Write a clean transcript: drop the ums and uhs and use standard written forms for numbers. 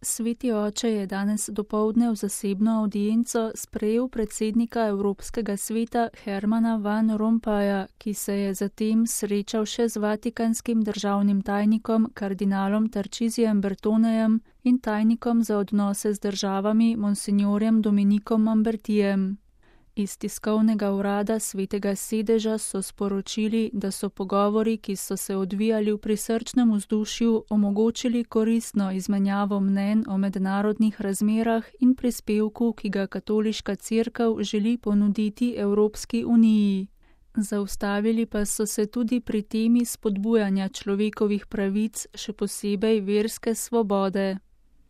Sveti oče je danes dopoldne v zasebno avdienco sprejel predsednika Evropskega sveta Hermana Van Rompuya, ki se je zatem srečal še z vatikanskim državnim tajnikom kardinalom Tarcisijem Bertonejem in tajnikom za odnose z državami monsignorjem Dominikom Mambertijem. Iz tiskovnega urada Svetega sedeža so sporočili, da so pogovori, ki so se odvijali v prisrčnem vzdušju, omogočili koristno izmenjavo mnenj o mednarodnih razmerah in prispevku, ki ga Katoliška cerkev želi ponuditi Evropski uniji. Zaustavili pa so se tudi pri temi spodbujanja človekovih pravic, še posebej verske svobode.